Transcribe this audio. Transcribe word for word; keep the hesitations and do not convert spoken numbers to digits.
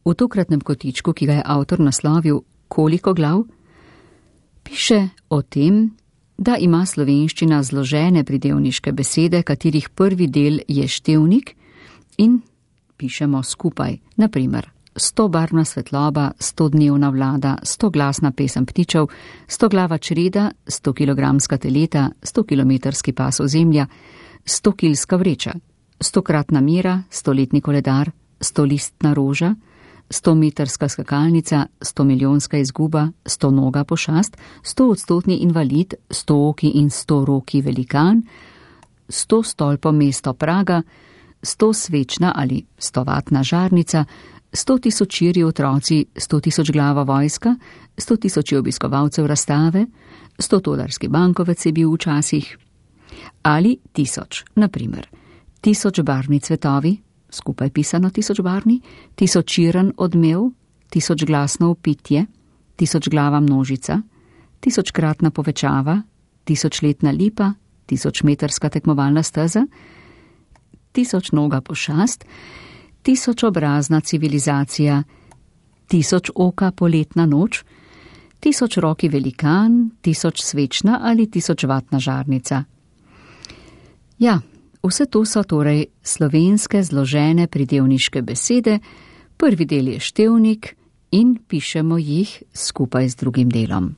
V tokratnem kotičku, ki ga je avtor naslovil Koliko glav, piše o tem, da ima slovenščina zložene pridevniške besede, katerih prvi del je števnik in pišemo skupaj. Na primer, stobarvna svetloba, stodnevna vlada, stoglasna pesem ptičev, stoglava čreda, stokilogramska teleta, stokilometrski pas ozemlja, stokilska vreča, stokratna mera, stoletni koledar, stolistna roža, stometrska skakalnica, stomilijonska izguba, stonoga pošast, stoodstotni invalid, stooki in storoki velikan, sto stolpo mesto Praga, sto svečna ali stovatna žarnica, sto tisočiri otroci, sto tisoč glava vojska, sto tisoči obiskovalcev razstave, sto tolarski bankovec je bil včasih, ali tisoč, na primer, tisoč barvni cvetovi, skupaj pisano tisoč barvni, tisočiren odmev, tisoč glasno upitje, tisoč glava množica, tisočkratna povečava, tisočletna lipa, tisočmetrska tekmovalna steza, tisoč noga pošast, tisoč obrazna civilizacija, tisoč oka poletna noč, tisoč roki velikan, tisoč svečna ali tisoč vatna žarnica. Ja, vse to so torej slovenske zložene pridevniške besede, prvi del je števnik in pišemo jih skupaj z drugim delom.